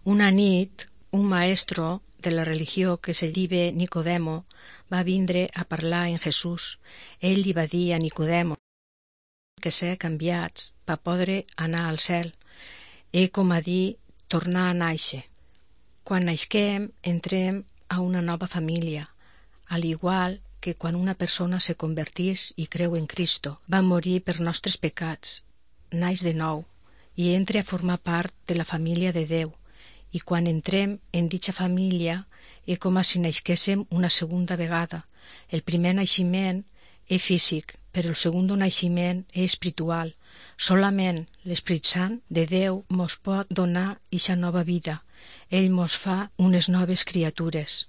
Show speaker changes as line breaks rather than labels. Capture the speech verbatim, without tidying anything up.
Una nit, un maestro de la religió que se diu Nicodemo va vindre a parlar amb Jesús. Ell li va dir a Nicodemo que ser canviats per poder anar al cel és com a dir tornar a nàixer. Quan naixem entrem a una nova família, al igual que quan una persona se convertís i creu en Cristo, va morir per nostres pecats, naix de nou i entra a formar part de la família de Déu. I quan entrem en dicha família és com si naixéssim una segunda vegada. El primer naixement és físic, però el segon naixement és espiritual. Solament l'Espírit Sant de Déu mos pot donar eixa nova vida. Ell mos fa unes noves criatures.